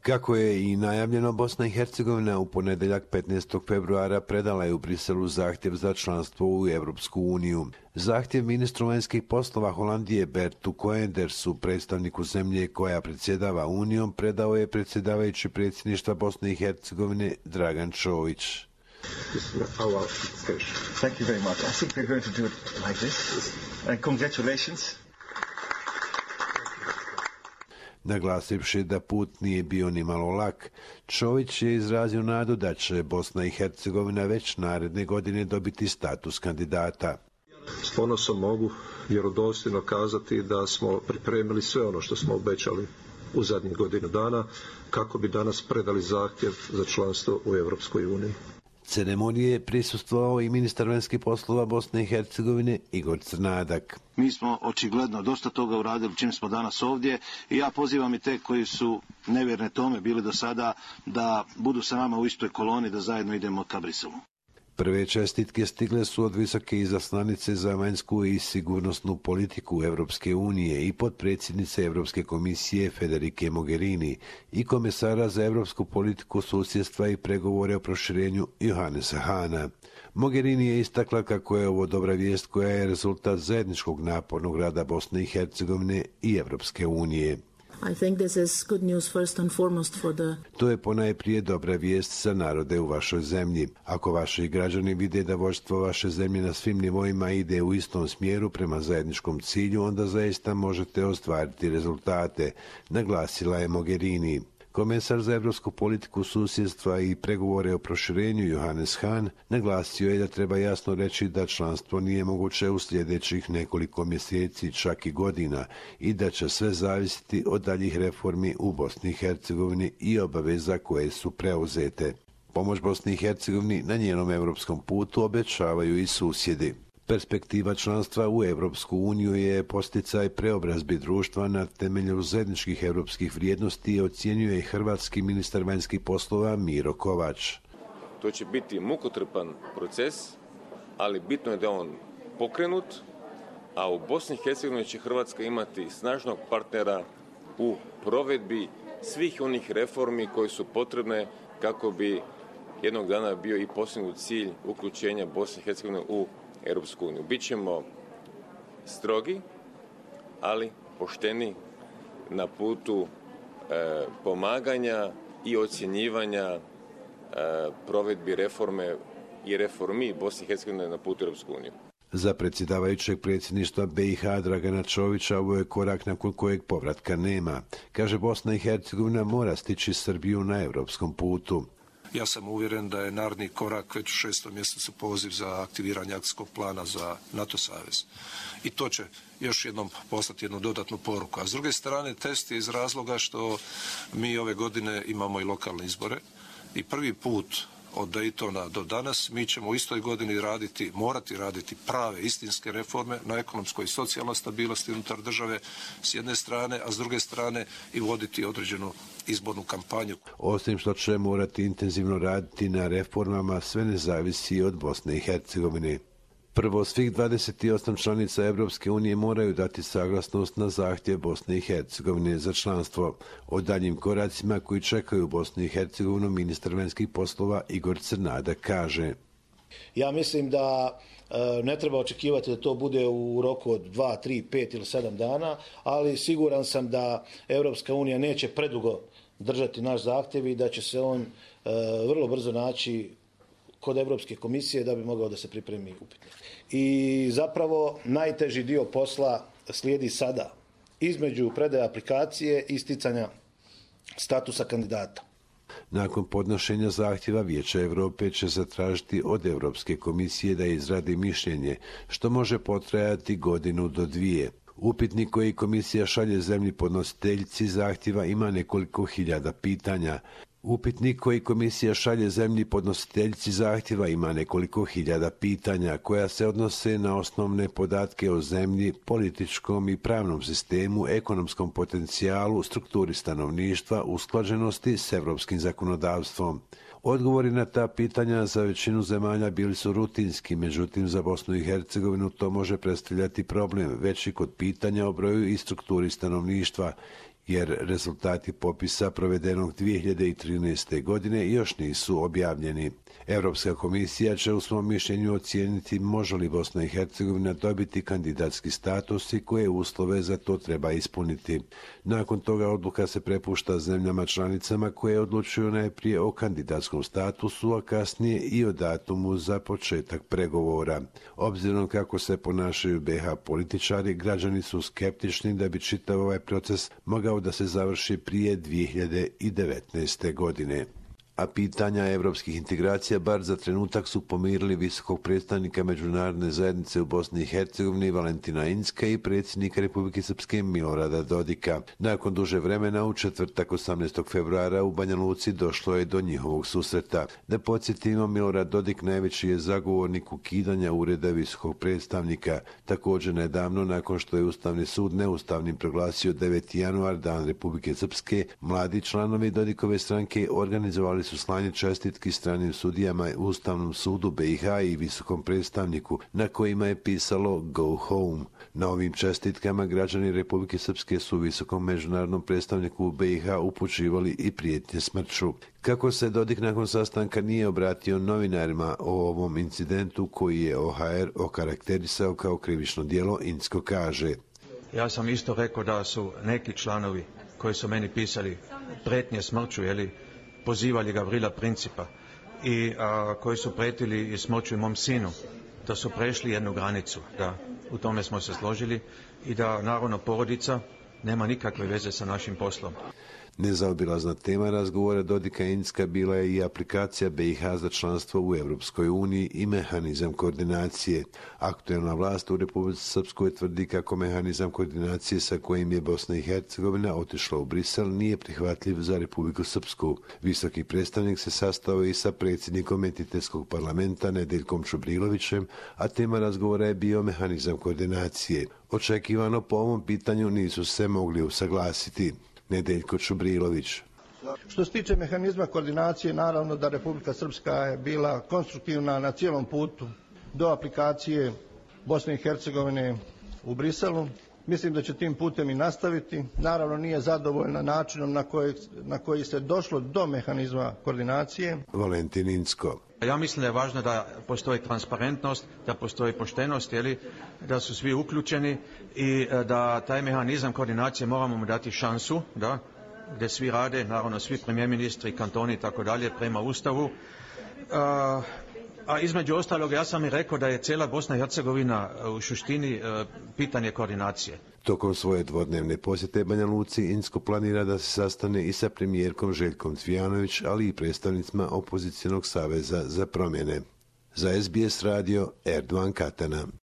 Kako je i najavljeno, Bosna i Hercegovina u ponedjeljak 15. februara predala je u Briselu zahtjev za članstvo u Europsku uniju. Zahtjev ministru vanjskih poslova Holandije Bertu Koendersu, predstavniku zemlje koja predsjedava Unijom, predao je predsjedavajući predsjedništva Bosne i Hercegovine Dragan Čović. Thank you very much. I think we're going to do it like this. Congratulations. Naglasivši da put nije bio ni malo lak, Čović je izrazio nadu da će Bosna i Hercegovina već naredne godine dobiti status kandidata. S ponosom mogu vjerodostojno kazati da smo pripremili sve ono što smo obećali u zadnjih godinu dana kako bi danas predali zahtjev za članstvo u Europskoj uniji. Ceremonije je prisustvovao i ministar vanjskih poslova Bosne i Hercegovine Igor Crnadak. Mi smo očigledno dosta toga uradili čim smo danas ovdje i ja pozivam i te koji su nevjerne tome bili do sada da budu sa nama u istoj koloni, da zajedno idemo ka Briselu. Prve čestitke stigle su od visoke izaslanice za vanjsku i sigurnosnu politiku Europske unije i potpredsjednice Europske komisije Federike Mogherini i komesara za europsku politiku, susjedstva i pregovore o proširenju Johannesa Hahna. Mogherini je istakla kako je ovo dobra vijest koja je rezultat zajedničkog napornog rada Bosne i Hercegovine i Europske unije. I think this is good news first and foremost for the... To je ponajprije dobra vijest za narode u vašoj zemlji. Ako vaši građani vide da vođstvo vaše zemlje na svim nivoima ide u istom smjeru prema zajedničkom cilju, onda zaista možete ostvariti rezultate, naglasila je Mogherini. Komesar za europsku politiku, susjedstva i pregovore o proširenju Johannes Hahn naglasio je da treba jasno reći da članstvo nije moguće u sljedećih nekoliko mjeseci, čak i godina, i da će sve zavisiti od daljih reformi u Bosni i Hercegovini i obaveza koje su preuzete. Pomoć Bosni i Hercegovini na njenom europskom putu obećavaju i susjedi. Perspektiva članstva u Europsku uniju je posticaj preobrazbi društva na temelju zajedničkih europskih vrijednosti, ocjenjuje i hrvatski ministar vanjskih poslova Miro Kovač. To će biti mukotrpan proces, ali bitno je da on pokrenut, a u Bosni i Hercegovini će Hrvatska imati snažnog partnera u provedbi svih onih reformi koje su potrebne kako bi jednog dana bio i postignut cilj uključenja Bosne i Hercegovine u Europsku uniju. Bićemo strogi, ali pošteni na putu pomaganja i ocjenjivanja provedbi reforme i reformi Bosne i Hercegovine na putu Europsku uniju. Za predsjedavajućeg predsjedništva BiH Dragana Čovića ovo je korak nakon kojeg povratka nema. Kaže, Bosna i Hercegovina mora stići Srbiju na europskom putu. Ja sam uvjeren da je naredni korak već u 6. mjesecu poziv za aktiviranje akcijskog plana za NATO savez. I to će još jednom poslati jednu dodatnu poruku. A s druge strane, test je iz razloga što mi ove godine imamo i lokalne izbore i prvi put od Daytona do danas mi ćemo u istoj godini morati raditi prave istinske reforme na ekonomskoj i socijalnoj stabilnosti unutar države s jedne strane, a s druge strane i voditi određenu izbornu kampanju. Osim što će morati intenzivno raditi na reformama, sve ne zavisi od Bosne i Hercegovine. Prvo, svih 28 članica Europske unije moraju dati saglasnost na zahtjev Bosne i Hercegovine za članstvo. O daljim koracima koji čekaju Bosnu i Hercegovinu ministar vanjskih poslova Igor Crnadak kaže: Ja mislim da ne treba očekivati da to bude u roku od 2, 3, 5 ili 7 dana, ali siguran sam da Europska unija neće predugo držati naš zahtjev i da će se on vrlo brzo naći kod Europske komisije da bi mogao da se pripremi upitnik. I zapravo najteži dio posla slijedi sada, između predaje aplikacije i sticanja statusa kandidata. Nakon podnošenja zahtjeva Vijeća Europe će zatražiti od Europske komisije da izradi mišljenje, što može potrajati 1 do 2. Upitnik koji komisija šalje zemlji podnositeljici zahtjeva ima nekoliko hiljada pitanja. Upitnik koji komisija šalje zemlji podnositeljici zahtjeva ima nekoliko hiljada pitanja koja se odnose na osnovne podatke o zemlji, političkom i pravnom sistemu, ekonomskom potencijalu, strukturi stanovništva, usklađenosti s europskim zakonodavstvom. Odgovori na ta pitanja za većinu zemalja bili su rutinski, međutim za Bosnu i Hercegovinu to može predstavljati problem veći kod pitanja o broju i strukturi stanovništva jer rezultati popisa provedenog 2013. godine još nisu objavljeni. Europska komisija će u svom mišljenju ocijeniti može li Bosna i Hercegovina dobiti kandidatski status i koje uslove za to treba ispuniti. Nakon toga odluka se prepušta zemljama članicama koje odlučuju najprije o kandidatskom statusu, a kasnije i o datumu za početak pregovora. Obzirom kako se ponašaju BiH političari, građani su skeptični da bi čitav ovaj proces mogao da se završi prije 2019. godine. A pitanja evropskih integracija bar za trenutak su pomirili visokog predstavnika međunarodne zajednice u Bosni i Hercegovini Valentina Incka i predsjednika Republike Srpske Milorada Dodika. Nakon duže vremena u četvrtak 18. februara u Banja Luci došlo je do njihovog susreta. Da podsjetimo, Milorad Dodik najveći je zagovornik ukidanja ureda visokog predstavnika. Također nedavno, nakon što je Ustavni sud neustavnim proglasio 9. januar, dan Republike Srpske, mladi članovi Dodikove stranke organizovali su slanje čestitki stranim sudijama u Ustavnom sudu BiH i visokom predstavniku, na kojima je pisalo Go Home. Na ovim čestitkama građani Republike Srpske su visokom međunarodnom predstavniku u BiH upućivali i prijetnje smrću. Kako se Dodik nakon sastanka nije obratio novinarima o ovom incidentu koji je OHR okarakterisao kao krivično djelo, Incko kaže: Ja sam isto rekao da su neki članovi koji su meni pisali prijetnje smrću, pozivali Gavrila Principa i koji su prijetili i smrću mom sinu, da su prešli jednu granicu, da u tome smo se složili i da naravno porodica nema nikakve veze sa našim poslom. Nezaobilazna tema razgovora Dodika i Incka bila je i aplikacija BiH za članstvo u Europskoj uniji i mehanizam koordinacije. Aktuelna vlast u Republici Srpskoj tvrdi kako mehanizam koordinacije sa kojim je Bosna i Hercegovina otišla u Brisel nije prihvatljiv za Republiku Srpsku. Visoki predstavnik se sastao i sa predsjednikom entitetskog parlamenta Nedeljkom Čubrilovićem, a tema razgovora je bio mehanizam koordinacije. Očekivano po ovom pitanju nisu se mogli usaglasiti. Nedeljko Čubrilović. Što se tiče mehanizma koordinacije, naravno da Republika Srpska je bila konstruktivna na cijelom putu do aplikacije Bosne i Hercegovine u Briselu. Mislim da će tim putem i nastaviti. Naravno nije zadovoljna načinom na koji se došlo do mehanizma koordinacije. Valentin Incko. Ja mislim da je važno da postoji transparentnost, da postoji poštenost, da su svi uključeni i da taj mehanizam koordinacije moramo mu dati šansu, da, gdje svi rade, naravno svi premijer ministri, kantoni i tako dalje, prema Ustavu. A između ostalog, ja sam i rekao da je cijela Bosna i Hercegovina u suštini pitanje koordinacije. Tokom svoje dvodnevne posjete Banja Luci, Incko planira da se sastane i sa premijerkom Željkom Cvijanović, ali i predstavnicima opozicionog saveza za promjene. Za SBS radio, Erdogan Katana.